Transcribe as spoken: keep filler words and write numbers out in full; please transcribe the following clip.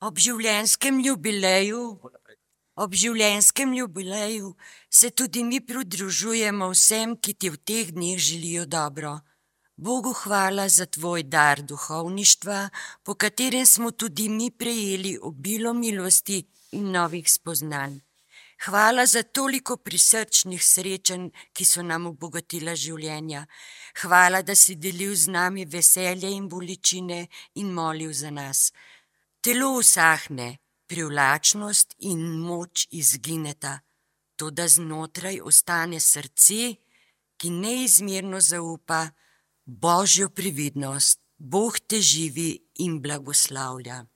Ob življenjskem jubileju, ob življenjskem jubileju se tudi mi pridružujemo vsem, ki ti v teh dneh želijo dobro. Bogu hvala za tvoj dar duhovništva, po katerem smo tudi mi prejeli obilo milosti in novih spoznanj. Hvala za toliko prisrčnih srečanj, ki so nam obogatila življenja. Hvala, da si delil z nami veselje in bolečine in molil za nas. Telo usahne, privlačnost in moč izgineta, toda znotraj ostane srce, ki neizmerno zaupa Božjo previdnost. Bog te živi in blagoslavlja.